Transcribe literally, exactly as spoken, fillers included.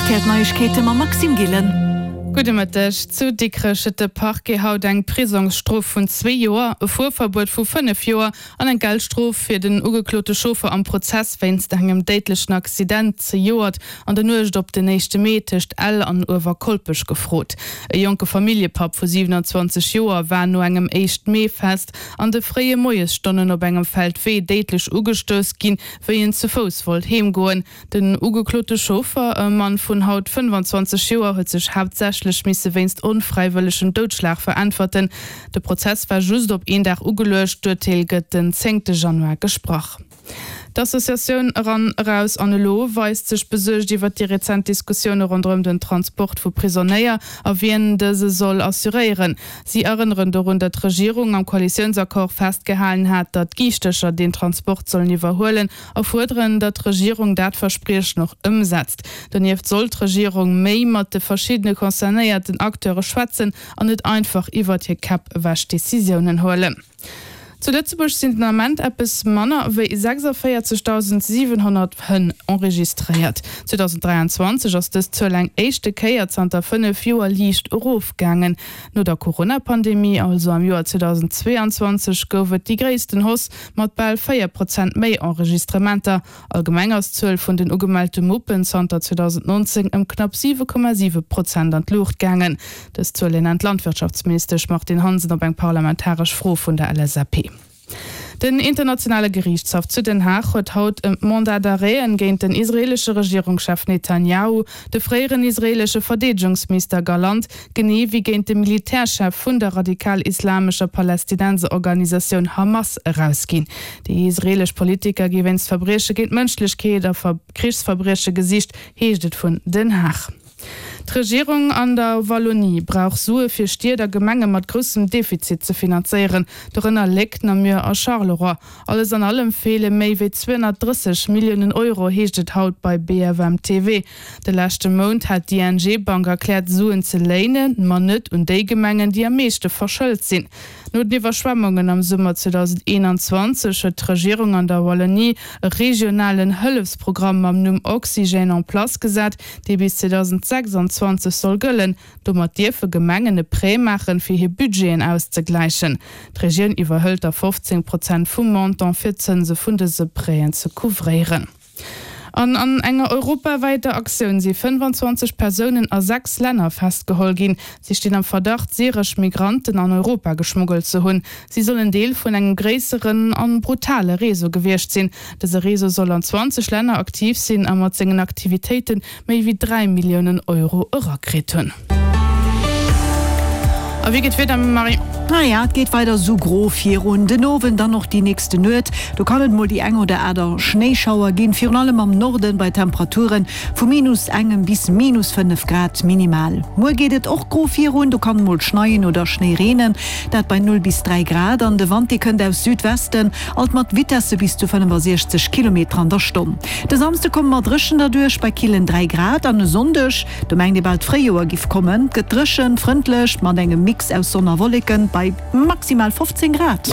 R T L Neiegkeete mam Maxime Gillen. Gudde Mëtteg. Zu Dikrech huet de Parquet haut eng Prisongsstrof vun zwee Joer, e Fuerverbuet vu fënnef Joer an eng Geldstrof fir den ugeklote Chauffer am Prozess wéinst engem déidlechen Accident zejoert an der Nuecht op den éischte Mee tëscht Ell an Uewerkolpech gefrot. E jonke Familljepapp vu siwenanzwanzeg Joer war no engem Éischt-Mee-Fest an de fréie Moiesstonnen op engem Feldwee déidlech ugestouss ginn, wéi en ze Fouss wollt heemgoen. Den ugeklote Chauffer, e Mann vun haut fënnefanzwanzeg Joer, huet sech haaptsächlech misse wéinst onfräiwëllegem Doudschlag veräntwerten. De Prozess war just op een Dag ugeluecht, d'Urteel gëtt den zéngte Januar gesprach. D'Associatioun Eran, Eraus an Elo weist sech besuergt iwwer déi rezent Diskussioune ronderëm den Transport vu Prisonéier a wien dëse soll assuréieren. Si erënneren dorun, datt d'Regierung am Koalitiounsaccord festgehalen hat, datt d'Giischtercher deen Transport sollen iwwerhuelen a fuerderen, datt d'Regierung dat Verspriechen och ëmsetzt. Donieft soll d'Regierung méi mat de verschiddene concernéierten Acteure schwätzen an net einfach iwwert hir Käpp ewech Decisiounen huelen. Zu Lëtzebuerg sinn den Ament eppes manner wéi sechsundvéierzegdausendsiwenhonnert Hënn enregistréiert. zweedausenddräianzwanzeg ass dës Zuel eng éischte Kéier zanter fënnef Joer liicht erofgaangen. No der Corona-Pandemie, also am Joer zweedausendzweeanzwanzeg, gouf et déi gréissten Hausse mat bal véier Prozent méi Enregistrementer. Allgemeng ass d'Zuel vun den ugemellte Muppen zanter zweedausendnonzéng ëm knapp siwe Komma siwe Prozent an d'Luucht gaangen. Dës Zuele nennt d'Landwirtschaftsministesch Martine Hansen op eng parlamentaresch Fro vun der L S A P. Den internationale Geriichtshaff zu Den Haag huet haut ëm d'Mandat d'arrêten géint den israeelesche Regierungschef Netanjahu, de fréieren israeelesche Verdeedegungsminister Gallant, genee wéi géint de Militärchef vun der radikal-islamescher Palästinenserorganisatioun Hamas erausginn. Déi israeelesch Politiker gi wéinst Verbrieche géint d'Mënschlechkeet a Krichsverbrieche gesicht, heescht et vun Den Haag. D'Regierung an der Wallonie brauch Sue fir Stied a Gemenge mat groussem Defizit ze finanzéieren, dorënner Léck, Namur a Charleroi. Alles an allem feele méi wéi zweehonnertdrësseg Milliounen Euro, heescht et haut bei B F M T V. De leschte Mount hat d'I N G Bank erkläert, Suen ze léinen, ma net un déi Gemengen, déi am meeschte verschëlt sinn. No den Iwwerschwemmungen am Summer zweedausendeenanzwanzeg huet d'Regierung an der Wallonie e regionalen Hëllefsprogramm mam Numm Oxygène en place gesat, dee bis zweedausendsechsundzwanzeg soll gëllen. Domat dierfe Gemengen e Prêt maachen, fir hir Budgeten auszegläichen. D'Regioun iwwerhëlt da fofzéng Prozent vum Montant fir d'Zënse vun dëse Prêten ze couvréieren. An an enger europawäiter Aktioun si fënnefanzwanzeg Persounen a sechs Länner festgeholl ginn. Si stinn am Verdacht, syresch Migranten an Europa geschmuggelt ze hunn. Si sollen Deel vun engem gréisseren an brutale Réseau gewiescht sinn. Dëse Réseau soll an zwanzeg Länner aktiv sinn a mat sengen Aktivitéiten méi wéi dräi Milliounen Euro erakritt hunn. A wéi geet d'Wieder, Marie? Naja, et geet weider sou gro virun. Den Owend dann och déi nächste Nuet. Do kann et mol déi eng oder aner Schnéischauer ginn, virun allem am Norden bei Temperaturen vu minus engem bis minus fënnef Grad minimal. Muer geet et och gro virun, do kann mol schneien oder Schnéi reenen, dat bei null bis dräi Grad. An de Wand, dee kënnt aus Südwesten, alt mat Vitesse bis zu fënnefasiechzeg Kilometer an der Stonn. De Samsde komme mer dréchen derduerch bei killen dräi Grad an e Sonndeg, do mengt ee bal d'Fréijoer giff kommen, gëtt dréchen, frëndlech mat engem Mix aus Sonn a Wolleken bei maximal fofzéng Grad.